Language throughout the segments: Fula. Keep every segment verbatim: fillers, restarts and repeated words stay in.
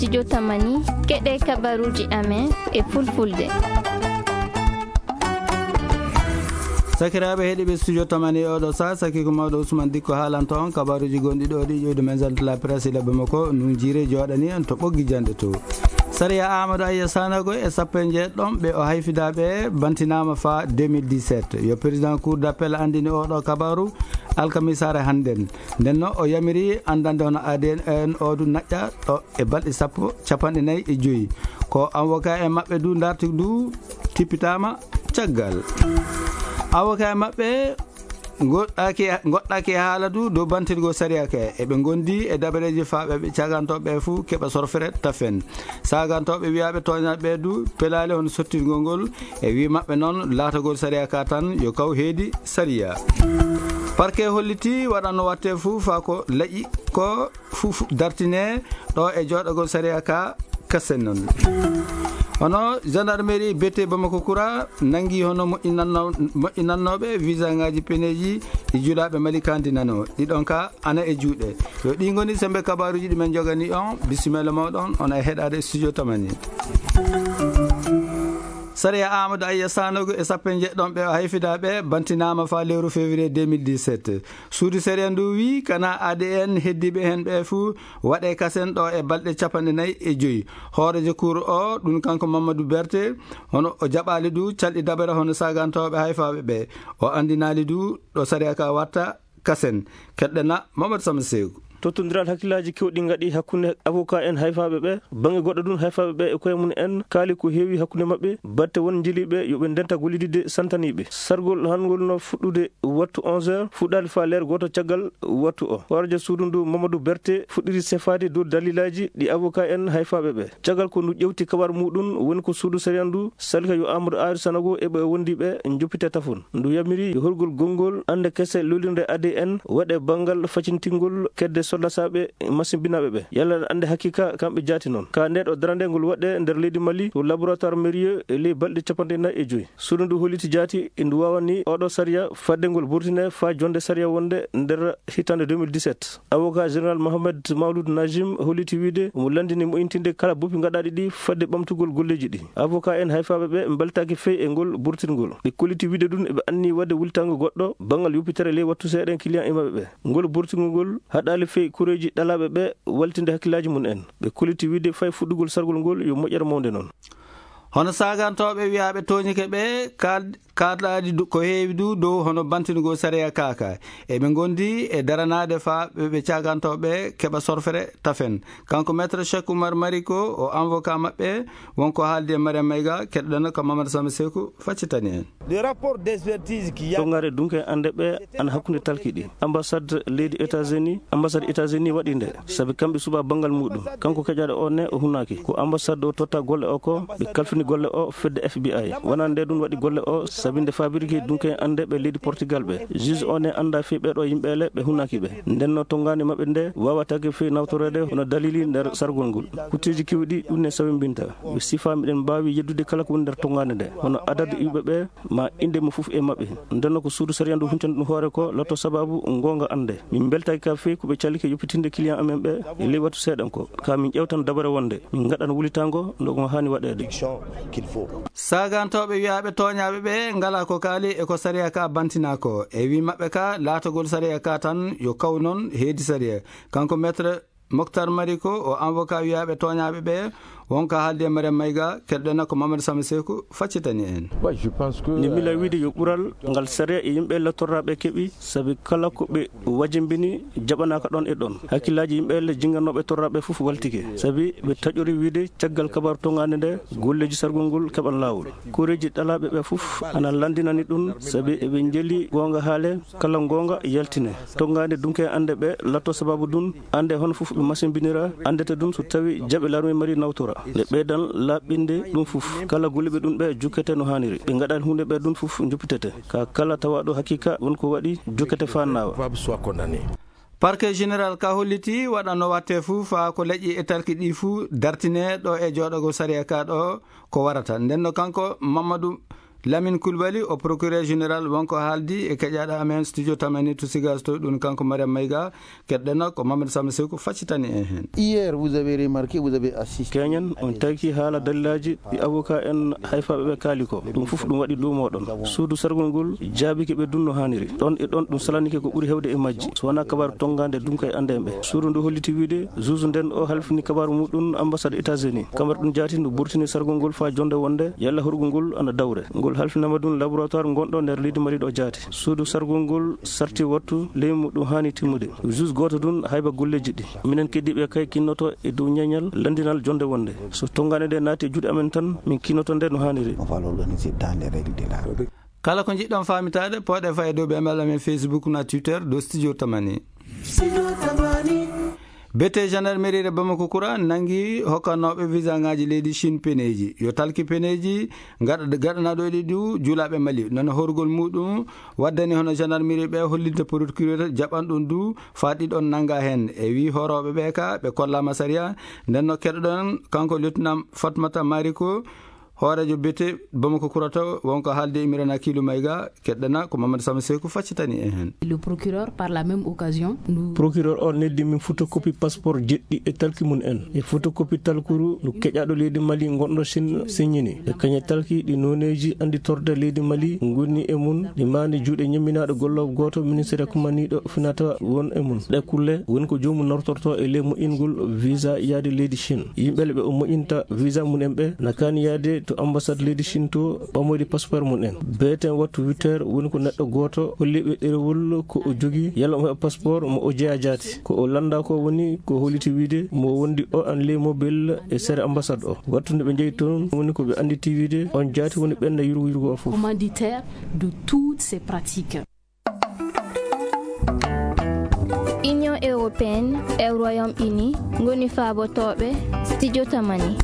Studio Tamani, keɗe kabaruuji amen e fulfulde. Sakiraaɓe heɗiiɓe Studio Tamani, oɗo sa saki ko mawɗo Ousmane Dikko haalanta on kabaruuji gonɗi ɗo ɗi ƴoyde men zante la presse ila Bamako, nun jiire jooɗani en to ɓoggi jande to. Sariya Amadou Aya Sanogo e sappo e jeeɗiɗon ɓe o hayfidaaɓe bantinaama fa deux mille dix-sept. Yo président cour d'appel andini oɗo kabaru alkamisaare hannden. Nden no o yamiri andande hono A D N o du naƴƴa ɗo e balɗe sappo, capanɗe nayi e joyi. Ko avocat e maɓɓe du darti du tippitaama caggal. Avocat e maɓɓe goɗɗaki, goɗɗaki e haala du dow bantirgol sariya ka. Eɓe gondi e dabareeji faaɓe ɓe cagantooɓe ɓe fuu keɓa sorfere tafen. Sagantooɓe wiyaaɓe tooñaaɓe ɓe du pelaali hono sottirgol ngol e wi maɓɓe noon laatagol sariya ka tan yo kaw heedi sariya. Parquet holliti waɗanno watte fuu faa ko laƴi ko fuu fu-, dartine ɗo e jooɗagol sariya ka kasen noon. Hono gendarmerie bete Bamako Kura nangi hono moƴƴinanno-, moƴƴinannooɓe visa ngaji peneji ɗi julaaɓe Mali kandi nano. Ɗiɗon ka ana e juuɗe. Yo ɗi ngoni sembe kabaruji ɗi men jogani on. Bisimilla mawɗon, on e heɗade Studio Tamani. Sariya Amadou Aya Sanogo e sappo e jeeɗiɗon ɓe o hayfidaaɓe bantinaama fa lewru février deux mille dix-sept. Suudu sariya ndu wi kana A D N heddiiɓe hen ɓe fuu waɗe kasen ɗo e balɗe capanɗe nayi e joyi. Hooreejo kuur o, ɗum kanko Mamadou Berté, hono o jaɓaali du calɗi dabere hono sagantooɓe hayfaaɓe ɓe. O anndinaali du ɗo sariya ka watta kasen. Keɗɗena Mamadou Samba Seeku. Tottondiral hakkillaaji kewɗi ngaɗi hakkunde avocat en hayfaaɓe ɓe. Baŋnge goɗɗo ɗum, hayfaaɓe ɓe e koye mum en kaali ko heewi hakkunde maɓɓe, batte won njeliiɓe yo ɓe ndenta gollididde santaniiɓe. Sargol hangol no fuɗɗude wattu onze heures, fuɗɗaali faa leer gooto caggal wattu o. Hooreejo suudu ndu Mamadou Berté fuɗɗiri sefaade dow dalilaaji ɗi avocat en hayfaaɓe ɓe. Caggal ko ndu ƴewti kabar muɗum, woni ko suudu sariya ndu salika yo Amadou Ayr Sanogo e ɓe wondi ɓe njoppite tafon. Ndu yamiri yo horgol gonngol annde kese lolirnde A D N waɗe banngal facintingol kedde sollasaaɓe masimbinaaɓe ɓe. Yalla annde hakiika kamɓe jaati noon. Ka nde ɗo darande ngol waɗe nder leydi Mali to laboratoire Mérieux e ley balɗe capanɗe nayi e joyi. Suudu ndu holliti jaati e ndu waawani oɗo sariya fadde ngol burtine faa jonde sariya wonde nder hitande deux mille dix-sept. Avocat général Mohamed Maouloud Najim holliti wiide omo lanndini mo'intinde kala boppi ngaɗaaɗi ɗi fadde ɓamtugol golleeji ɗi. Avocat en hayfaaɓe ɓe mbeltaaki fey e ngol burtingol. Ɓe kolliti wiide ɗum eɓe anni waɗde wultango goɗɗo banngal yoppitere ley wattu seeɗen client e maɓɓe ɓe. Ngol burtingol ngol haɗaali fey kureeji ɗalaaɓe ɓe waltinde hakkillaaji mum en. Ɓe kolliti wiide fay fuɗɗugol sargol ngol yo moƴƴere mawnde noon. Hono sagantooɓe wiyaaɓe tooñike ɓe kaal-, kaalaali du-, ko heewi du dow hono bantingol sariya kaaka. Eɓe ngondi e daranaade faa ɓe, ɓe cagantooɓe keɓa sorfere tafen. Kanko Maître Cheikh Oumar Mariko, o avocat maɓɓe, wonko haaldi e Mariam Mayga, keɗɗoɗen ko Mamadou Samba Seeku faccitani en. Le rapport d'expertise qui a Tongaare dunke annde ɓe ana hakkunde talki ɗi. Ambassade leydi États-Unis, ambassade États-Unis waɗi nde, sabi kamɓe suɓa banngal muɗum. Kanko keƴaɗo o ne o hunaaki. Ko ambassade o totta golle o ko, ɓe kalfini golle o fedde F B I. Wona nde ɗum waɗi golle o, sabi nde faabiriki dunke annde ɓe leydi Portugal ɓe. Juge o ne annda fii ɓeɗo yimɓe le ɓe hunaaki ɓe. Nden no tongaande maɓɓe nde waawataake fii nawtoreede hono dalili nder sargol ngol. Kutteeji kewɗi ɗum ne sawimbinta. Ɓe sifa miɗen mbaawi yeddude kala ko woni nder tongaande nde. Hono adadu iwɓe ɓe, ma innde mo fof e maɓɓe. Ndenno ko suudu sariya ndu huntani ɗum hoore ko lotto sababu ngoonga annde. Min mbeltaaki ka fey ko ɓe calike yoppitinde client amen ɓe e ley wattu seeɗan ko. Ka min ƴewtan dabare wonde min ngaɗan wulitango no ɗum haani waɗeede. Sagantooɓe wiyaaɓe tooñaaɓe ɓe ngala ko kaali e ko sariya ka bantina ko. E wi maɓɓe ka laatagol sariya ka tan yo kaw noon heedi sariya. Kanko Maître Moctar Mariko, o avocat wiyaaɓe tooñaaɓe ɓe, wonko haaldi e Mariam Mayga, keɗɗen ko Mamadou Samba Seeku faccitani en. Ouais, je pense que, Nde mila euh, wiide yo ɓural ngal sariya e yimɓe lattorraaɓe keɓi, sabi kala ko ɓe wajimbini jaɓanaaka ɗon e ɗon. Hakkillaaji yimɓe le jinganooɓe torraaɓe fof waltike, sabi ɓe taƴori wiide caggal kabaru tongaande nde, golleeji sargol ngol keɓan laawol. Koreeji ɗalaaɓe ɓe fof ana lanndinani ɗum, sabi eɓe njeli goonga haale, kala goonga yaltine. Tongaande dunke annde ɓe latto sababu ɗum, annde hono fof ɓe masimbinira, anndete ɗum so tawi jaɓe larme mari nawtora. Ɓe ɓeydan laaɓɓinde ɗum fof. Kala golliɓe ɗum ɓe jokkete no haaniri. Ɓe ngaɗan huunde ɓe ɗum fof joppitete. Ka kala tawaɗo haqiqa won ko waɗi jokkete faa naawa. Soit condamné. Parquet général ka holliti waɗa no watte fuu faa ko leƴƴi e talki ɗi fuu dartine ɗo e jooɗagol sariya ka ɗo ko warata. Nden no kanko Mamadou Lamine Coulibaly, o procureur général, wonko haaldi e keƴaaɗo amen studio Tamani to Sigas to, ɗum kanko Mariam Mayga. Keɗɗen ko Mamadou Samba Seku faccitani en heen. Hier, vous avez remarqué, vous avez assisté. Keñen, on tawki haala dalilaji ɗi avocat en hayfaɓe ɓe kaali ko. Ɗum fof ɗum waɗi lumo ɗon. Suudu sargol ngol jaabike ɓe dunno haaniri. Ɗon e ɗon ɗum salanike ko ɓuri hewde e majji. So wonaa kabaru tongande dunka e ande en ɓe. Suudu ndu holliti wiide, juge nden o halfini kabaru muɗum ambassade États-Unis. Kamar ɗum jaati ndu burtini sargol ngol faa jonde wonde, yalla horgol ngol ana dawre. Ngol halfinama ɗum laboratoire gonɗo nder leydi Mali ɗo jaati. Suudu sargol ngol sarti wattu leymu ɗum haani timmude. Juge gooto ɗum hayba golleeji ɗi. Minen keddiiɓe kay kinnoto e dow ñeeñal lanndinal jonde wonde. So tonngande nde naati e juuɗe amen tan, min kinnoto nde no haaniri. On va l'organiser dans les règles de l'art. Kala ko njiɗɗon faamitaade, pooɗe faa e dow ɓe mballa men Facebook na Twitter, ɗo Studio Tamani. Studio Tamani. Bete gendarmerie de Bamako Kura nangi hokkanooɓe visa ngaji leydi Chine peneeji. Yo talki peneeji gaɗa-, gaɗanaaɗo e ɗi du juulaaɓe Mali. Noon horgol muɗum waddani hono gendarmerie ɓe hollitde procureur jaɓan ɗum du faa ɗiɗon nanga heen. E wii horooɓe ɓe ka ɓe kollaama sariya. Nden no keɗoɗon kanko lieutenant Fatmata Mariko, hooreejo bete Bamako Kura to, wonko haalde Imran Akilu Mayga, keɗɗana ko Mamadou Samba Seku faccitani en heen. Le procureur, par la même occasion, nous Procureur o neldi min photocopie passeport jeɗɗi e talki mum en. E photocopie talkuru no keƴaaɗo leydi Mali gonɗo Chine signini. E kañe talki ɗi noneeji annditorde leydi Mali ngoni e mum, ɗi maani juuɗe ñemminaaɗo golloowo gooto ministère kumaniiɗo finata won e mum. Ɗe kulle woni ko joomum nortorto e ley moƴƴingol visa yaade leydi Chine. Yimɓe ɓe o moƴƴinta visa mum en ɓe na kaani yaade to ambassade leydi Chine to ɓamoyde passeport mum en. Beeten wattu huit heures woni ko neɗɗo gooto holli ɓe ɗerewol ko o jogii, yalla omo heɓa passeport mo o jeyaa jaati. Ko o lannda ko woni ko holliti wiide mo wondi o an ley mobile e sere ambassade o. Wattu nde ɓe njeyi toon woni ko ɓe annditi wiide on jaati woni ɓen na yurgo yurgo o fof. Commanditaire de toutes ces pratiques. Union européenne e Royaume-Uni ngoni faabotooɓe Studio Tamani.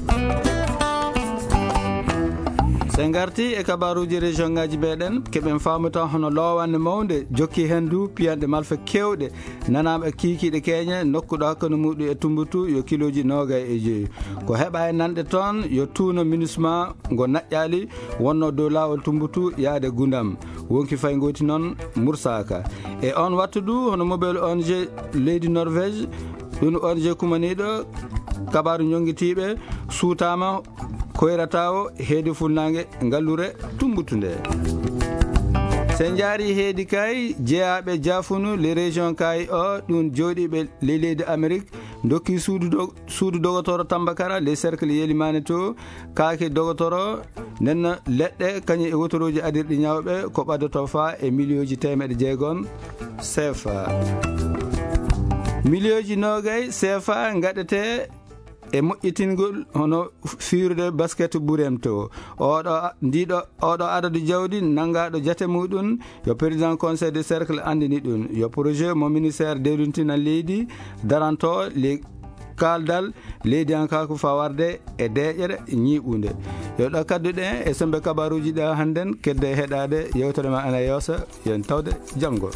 So en ngarti e kabaruuji région ngaji meɗen, keɓen faamuta hono lowande mawnde jokki heen du piyanɗe malfa keewɗe, nanaaɓe kiikiiɗe keeñe, nokku ɗo hakkunde muɗum e Tumbutu yo kilooji noogay e joyi. Ko heɓa e nanɗe toon yo tuuno MINUSMA ngo naƴƴaali wonno dow laawol Tumbutu yaade Gundam. Wonki fay ngooti noon mursaaka. E on wattu du, hono mobile O N G leydi Norvège, ɗum O N G kumaniiɗo kabaaru ñonngitiiɓe suutaama koyrata o heedi funnaange ngallure Tumbutu nde. So en njaari heedi kay, jeyaaɓe jaafunu les régions kay o, ɗum jooɗiiɓe ley leydi Amérique, ndokki suudu do-, suudu dogotoro Tambakara, les cercles Yelimane to, kaake dogotoro, nden leɗɗe kañum e wotorooji adirɗi ñawɓe ko ɓaddoto faa e miliyooji teemeɗe jeegom C F A. Miliyooji noogay C F A ngaɗete e moƴƴitingol hono fiirude basket ɓurem to. Oɗo, ndiɗo, oɗo adadu jawdi nangaaɗo jate muɗum, yo président conseil de cercle anndini ɗum. Yo projet mo ministère dewlintina leydi daranto le kaaldal leydiyankaaku fawarde e deeƴere ñiiɓunde. Yo ɗo kadduɗe e sembe kabaruuji ɗe hannden kedde heɗaade yewtere ma ana yoosa, yo en tawde janngo.